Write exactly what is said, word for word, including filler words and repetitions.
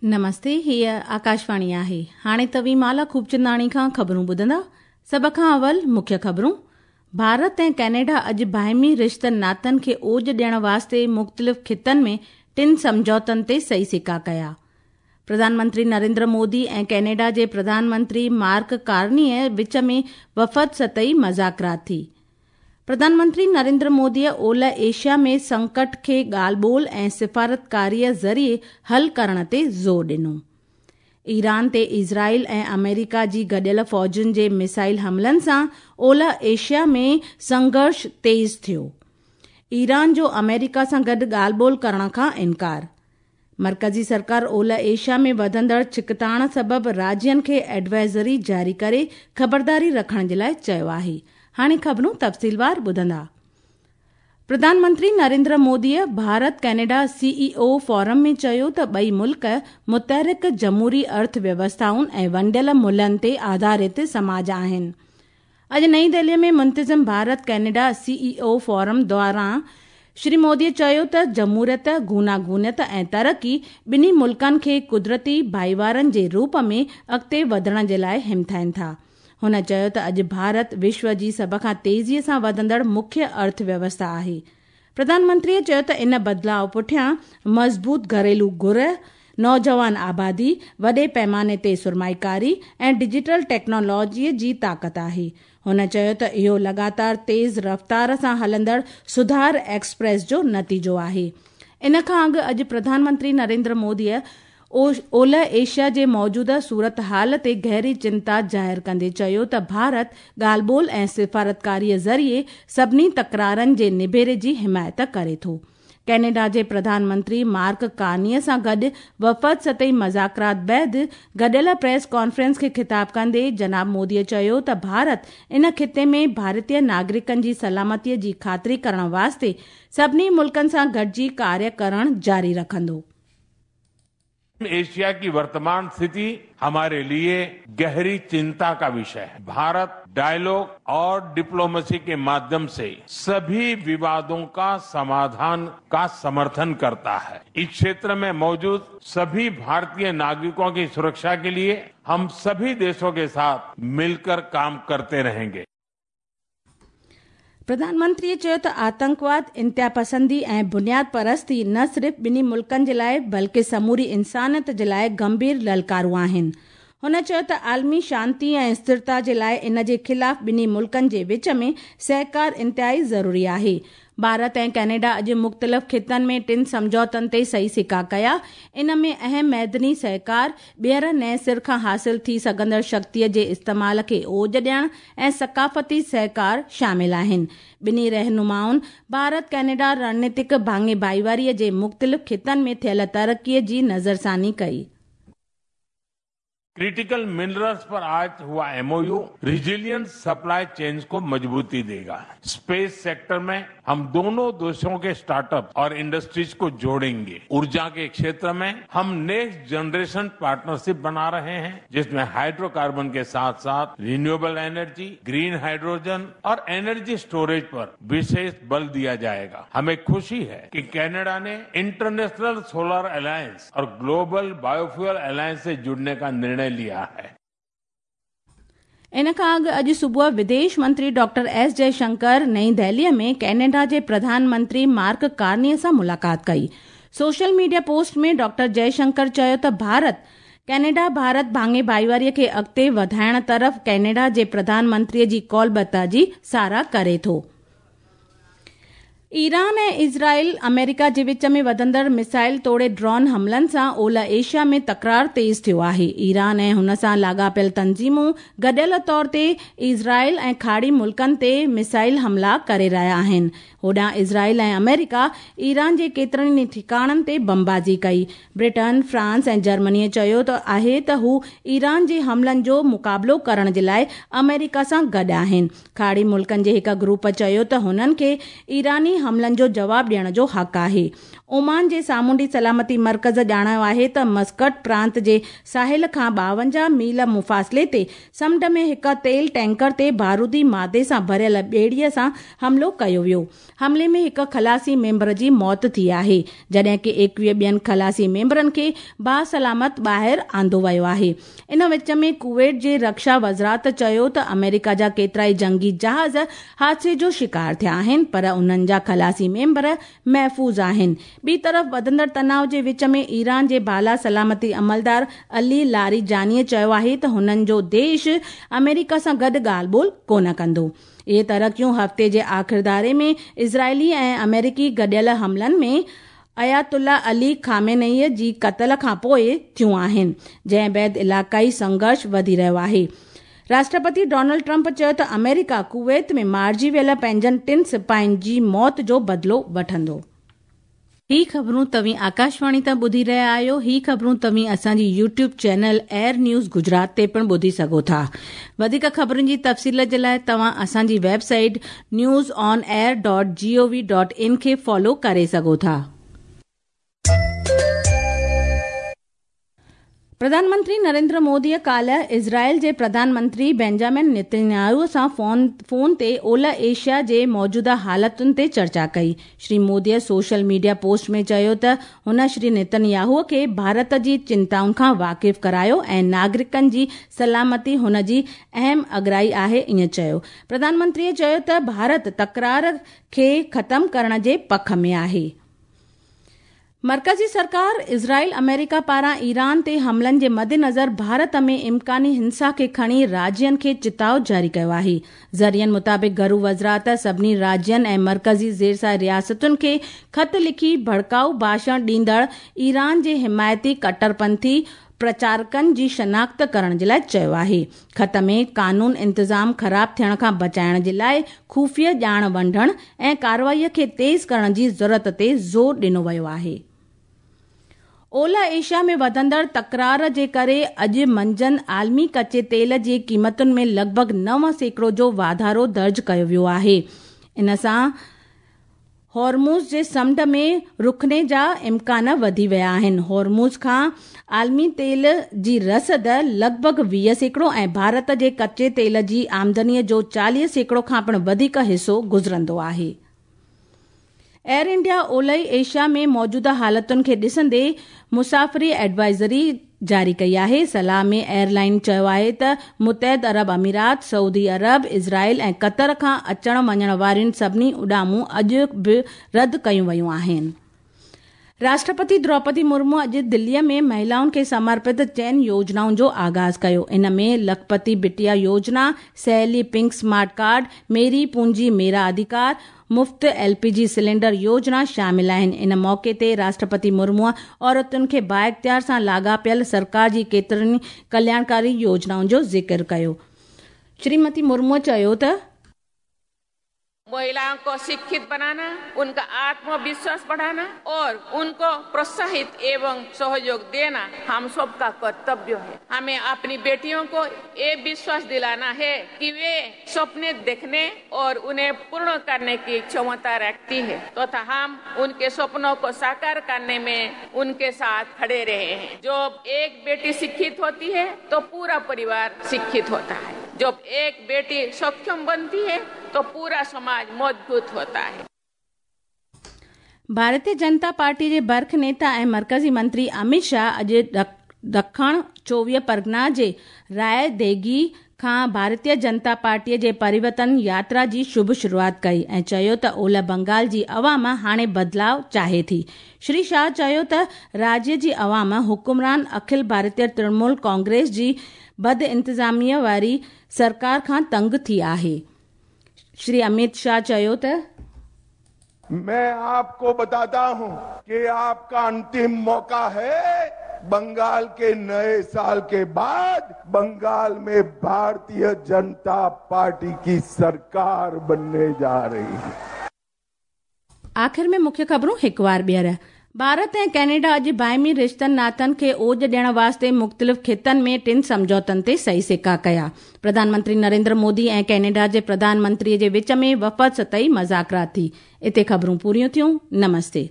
नमस्ते, हीअ आकाशवाणी आहे। हाणे तव्हीं माला खूबचंदाणी खां ख़बरूं ॿुधंदा। सभ खां अवल मुख्य ख़बरूं। भारत ऐं कनाडा अॼु बाहिमी रिश्तनि नातनि खे ओज ॾियण वास्ते मुख़्तलिफ़ ख़ितनि में टिनि सम्झौतनि ते सही सिका कया। प्रधानमंत्री नरेंद्र मोदी ऐं कनाडा जे प्रधानमंत्री मार्क कार्नीअ विच में वफ़द सतही मज़ाकरात थी। प्रधानमंत्री नरेंद्र मोदीअ ओलह एशिया में संकट खे ॻाल्हि ॿोल ऐं सिफारतकारीअ ज़रिए हल करण ते ज़ोर ॾिनो। ईरान ते इज़राइल ऐं अमेरिका जी गॾियल फ़ौजुनि जे मिसाइल हमलनि सां ओलह एशिया में संघर्ष तेज़ थियो। ईरान जो अमेरिका सां गॾु ॻाल्हि ॿोल करण खां इनकार। मर्कज़ी सरकार ओलह एशिया में वधंदड़ छिकताण सबबि राज्यनि खे एडवाइज़री जारी करे ख़बरदारी रखण जे लाइ चयो आहे। हाणे ख़बरूं तफ़सीलवार ॿुधंदा। प्रधानमंत्री नरेंद्र मोदीअ भारत कनाडा सीईओ फोरम में चयो त ॿई मुल्क मुतहरिक जमहूरी अर्थव्यवस्थाउनि ऐं वंडियल मुल्हनि ते आधारित समाज आहिनि। अॼु नई दिल्लीअ में मुंतज़िम भारत कनाडा सीईओ फोरम दौरान श्री मोदीअ चयो त जमहूरियत, गूनागूनियत ऐं तरक़ी ॿिन्ही मुल्कनि खे कुदरती भाईवारनि जे रूप में अॻिते वधण जे लाइ हिमथाइनि था। हुन चयो त अॼु भारत विश्व जी सभ खां तेज़ीअ सां वधंदड़ मुख्य अर्थव्यवस्था आहे। प्रधानमंत्रीअ चयो त इन बदिलाव पुठियां मज़बूत घरेलू घुर, नौजवान आबादी, वॾे पैमाने ते सुरमाईकारी ऐं डिजिटल टेक्नोलॉजीअ जी ताक़त आहे। हुन चयो त इहो लगातार तेज़ रफ़्तार सां हलंदड़ सुधार एक्सप्रेस जो नतीजो आहे। इन खां अॻु अॼु प्रधानमंत्री नरेंद्र मोदीअ ओलह एशिया जे मौजूदा सूरत हाल ते गहरी चिंता ज़ाहिर कंदे चयो त भारत ॻाल्हि ॿोल ऐं सिफारतकारीअ ज़रिए सभिनी तकरारनि जे निबेरे जी हिमायत करे थो। कनाडा जे प्रधानमंत्री मार्क कार्नीअ सां गॾु वफ़द सतही मज़ाकरात बाद गॾियल प्रेस कॉन्फ्रेंस खे ख़िताब कंदे जनाब मोदीअ चयो त भारत इन ख़िते में भारतीय नागरिकनि जी सलामतीअ जी ख़ातिरी करण वास्ते सभिनी मुल्कनि सां गॾिजी कार्य करण जारी रखंदो। एशिया की वर्तमान स्थिति हमारे लिए गहरी चिंता का विषय है। भारत डायलॉग और डिप्लोमेसी के माध्यम से सभी विवादों का समाधान का समर्थन करता है। इस क्षेत्र में मौजूद सभी भारतीय नागरिकों की सुरक्षा के लिए हम सभी देशों के साथ मिलकर काम करते रहेंगे। प्रधानमंत्रीअ चयो त आतंकवाद, इंतिहा पसंदी ऐं बुनियाद परस्ती न सिर्फ़ ॿिन्ही मुल्कनि जे लाइ बल्कि समूरी इंसानियत जे लाइ गंभीर ललकारूं आहिनि। हुन चयो त आलमी शांति ऐं स्थिरता जे लाइ इन जे ख़िलाफ़ ॿिन्ही मुल्कनि जे विच में सहकार इंतिहाई ज़रूरी आहे। भारत ऐं कनाडा अॼु मुख़्तलिफ़ ख़ितनि में टिनि सम्झौतनि ते सही सिका कया। इन में अहम मैदनी सहकार, ॿीहर नए सिर खां हासिल थी सघंदड़ शक्तिअ जे इस्तेमाल खे ओज ॾियण ऐं सकाफ़ती सहकार शामिल आहिनि। ॿिन्ही रहनुमाउनि भारत कनाडा रणनीतिक भाङे भाईवारीअ जे मुख़्तलिफ़ ख़ितनि में थियल तरक़ीअ जी नज़रसानी कई। क्रिटिकल मिनरल्स पर आज हुआ एमओयू रिजिलियंट सप्लाई चेन्स को मजबूती देगा। स्पेस सेक्टर में हम दोनों देशों के स्टार्टअप और इंडस्ट्रीज को जोड़ेंगे। ऊर्जा के क्षेत्र में हम नेक्स्ट जनरेशन पार्टनरशिप बना रहे हैं, जिसमें हाइड्रोकार्बन के साथ साथ रिन्यूएबल एनर्जी, ग्रीन हाइड्रोजन और एनर्जी स्टोरेज पर विशेष बल दिया जाएगा। हमें खुशी है कि कनाडा ने इंटरनेशनल सोलर अलायंस और ग्लोबल बायोफ्यूल अलायंस से जुड़ने का निर्णय लिया है। इन खां अॻु अॼु सुबुह विदेश मंत्री डॉक्टर एस जयशंकर नई दिल्लीअ में कनाडा जे प्रधानमंत्री मार्क कार्नीअ सां मुलाक़ात कई। सोशल मीडिया पोस्ट में डॉक्टर जयशंकर चयो त भारत कनाडा भारत भाङे भाईवारीअ खे अॻिते वधाइण तरफ़ कनाडा जे प्रधानमंत्रीअ जी कौलबता जी सराह करे थो। ईरान ऐं इज़राइल अमेरिका जे विच में वधंदड़ मिसाइल तोड़े ड्रोन हमलनि सां ओलह एशिया में तकरार तेज़ थियो आहे। ईरान ऐं हुन सां लाॻापियल तंज़ीमूं गॾियल तौर ते इज़राइल ऐं खाड़ी मुल्कनि ते मिसाइल हमला करे रहिया आहिनि। होॾां इज़राइल ऐं अमेरिका ईरान जे केतिरनि ई ठिकाणनि ते बमबाज़ी कई। ब्रिटेन, फ्रांस ऐं जर्मनीअ चयो त आहे त हू ईरान जे हमलनि जो मुक़ाबिलो करण जे लाइ अमेरिका सां गॾु आहिनि। खाड़ी मुल्कनि जे हिकु ग्रुप चयो त हुननि खे ईरानी हमलनि जो जवाब ॾियण जो हक़ आहे। ओमान जे सामुंडी सलामती मर्कज़ ॼाणायो आहे त मस्कट प्रांत जे साहिल खां ॿावंजाह मील मुफ़ासिले ते समुंड में हिकु तेल टैंकर ते बारूदी मादे सां भरियल ॿेड़ीअ सां हमलो कयो वियो। हमले में हिकु खलासी मेंबर जी मौत थी आहे, जॾहिं की एकवीह ॿियनि खलासी मेंबरनि खे बासलामत ॿाहिरि आंदो वियो आहे। इन विच में कुवैत जे रक्षा वज़ारत चयो त अमेरिका जा केतिरा ई जंगी जहाज़ हादसे जो शिकार थिया आहिनि, पर उन्हनि जा खलासी मेंबर महफ़ूज़ आहिनि। ॿी तरफ़ वधंदड़ तनाव जे विच में ईरान जे बाला सलामती अमलदार अली लारी जानीअ चयो आहे त हुननि जो देश अमेरिका सां गॾु ॻाल्हि ॿोल कोन कंदो। इहे तरक़ियूं हफ़्ते जे आख़िरदारे में इज़राइली ऐं अमेरिकी गॾियल हमलनि में अयातुल्ला अली खामेनई जी क़तल खां पोइ थियूं आहिनि, जंहिं बाद इलाइक़ाई संघर्ष वधी रहियो आहे। राष्ट्रपति डोनाल्ड ट्रंप चयो त अमेरिका कुवैत में मारिजी वियल पंहिंजनि टिनि सिपाहियुनि जी मौत जो बदिलो वठंदो। ही ख़बरूं तव्हीं आकाशवाणी तां ॿुधी रहिया आहियो। ही ख़बरूं तव्हीं असांजी YouTube channel Air News Gujarat ते पिणु ॿुधी सघो था। वधीक ख़बरुनि जी तफ़सील जे लाइ तव्हां असांजी website news on air dot G O V dot in खे फॉलो करे सघो था। प्रधानमंत्री नरेंद्र मोदीअ काल्ह इज़राइल जे प्रधानमंत्री बेंजामिन नेतन्याहू सां फोन फोन ते ओलह एशिया जे मौजूदा हालतुनि ते चर्चा कई। श्री मोदीअ सोशल मीडिया पोस्ट में चयो त हुन श्री नेतन्याहू खे भारत जी चिंताउनि खां वाक़िफ़ करायो ऐं नागरिकनि जी सलामती हुन जी अहम अगराई आहे, ईअं चयो। प्रधानमंत्रीअ चयो त भारत तकरार खे ख़तम करण जे पख में आहे। मर्कज़ी सरकार इज़राइल अमेरिका पारां ईरान ते हमलनि जे मद्देनज़र भारत में इम्कानी हिंसा खे खणी राज्यनि खे चिताव जारी कयो आहे। ज़रियनि मुताबिक़ घरू वज़ारत सभिनी राज्यनि ऐं मर्कज़ी ज़ेरसा रियासतुनि खे ख़त लिखी भड़काऊ भाषण ॾींदड़ ईरान जे हिमायती कट्टरपंथी प्रचारकनि जी शनाख़्त करण जे लाइ चयो आहे। ख़त में कानून इंतज़ाम ख़राब थियण खां बचाइण जे लाइ ख़ुफ़िया ॼाण वंडण ऐं कार्रवाईअ खे तेज़ करण जी ज़रूरत ते ज़ोर ॾिनो वियो आहे। ओलह एशिया में वधंदड़ तकरार जे करे अॼु मंझंदि आलमी कच्चे तेल जी क़ीमतुनि में लॻभॻि नव सैकड़ो जो वाधारो दर्ज कयो वियो आहे। इन सां हॉर्मुज़ जे समुंड में रुकणे जा इम्कान वधी विया आहिनि। हॉर्मुज़ खां आलमी तेल जी रसद लॻभॻि वीह सैकड़ो ऐं भारत जे कच्चे तेल जी आमदनीअ जो चालीह सैकड़ो खां पिणु वधीक हिसो गुज़रंदो आहे। एयर इंडिया ओलह एशिया में मौजूदा हालतुनि खे ॾिसंदे मुसाफ़िरी एडवाइज़री जारी कई आहे। सलाह में एयरलाइन चयो आहे त मुतहद अरब अमीरात, सऊदी अरब, इज़राइल ऐं क़तर खां अचण वञण वारियुनि सभिनी उॾामूं अॼु बि रद्द कयूं वयूं आहिनि। राष्ट्रपति द्रौपदी मुर्मू अॼु दिल्लीअ में महिलाउनि खे समर्पित चइनि योजनाउनि जो आगाज़ कयो। इन में लखपति बिटिया योजना, सहेली पिंक स्मार्ट कार्ड, मेरी पूंजी मेरा अधिकार, मुफ़्त एलपीजी सिलेंडर योजना शामिल आहिनि। इन मौक़े ते राष्ट्रपति मुर्मूअ औरतुनि खे बाइख़्तियार सां लाॻापियल सरकार जी केतिरनि कल्याणकारी योजनाउनि जो ज़िक्र कयो। श्रीमती मुर्मूअ चयो त महिलाओं को शिक्षित बनाना, उनका आत्मविश्वास बढ़ाना और उनको प्रोत्साहित एवं सहयोग देना हम सबका कर्तव्य है। हमें अपनी बेटियों को ये विश्वास दिलाना है कि वे सपने देखने और उन्हें पूर्ण करने की क्षमता रखती है तथा हम उनके सपनों को साकार करने में उनके साथ खड़े रहे हैं। जब एक बेटी शिक्षित होती है तो पूरा परिवार शिक्षित होता है। जब एक बेटी सक्षम बनती है तो पूरा समाज मजबूत होता है। भारतीय जनता पार्टी जे बर्ख नेता ऐं मर्कज़ी मंत्री अमित शाह अॼु दखण चोवीह परगना जे राय देगी खां भारतीय जनता पार्टीअ जे परिवर्तन यात्रा जी शुभ शुरुआत कई ऐं चयो त ओलह बंगाल जी अवाम हाणे बदिलाव चाहे थी। श्री शाह चयो त राज्य जी अवाम हुकुमरान अखिल भारतीय तृणमूल कांग्रेस जी बद इंतज़ामीअ वारी सरकार खां तंग थी आहे। श्री अमित शाह चयो त मैं आपको बताता हूं कि आपका अंतिम मौका है। बंगाल के नए साल के बाद बंगाल में भारतीय जनता पार्टी की सरकार बनने जा रही है। आखिर में मुख्य खबरूं हिकु बार ॿीहर। ڀارت ۽ ڪئناڊا اڄ باهمي رشتن ناتن کي اوج ڏيڻ واسطي مختلف خطن ۾ ٽن سمجهوتن تي صحيح سڪا ڪيا. پرڌان منتري نريندر مودي ۽ ڪئناڊا جي پرڌان منتري جي وچ ۾ وفد سطحي مذاڪرات ٿي. اتي خبرون پوريون ٿيون. نمستي.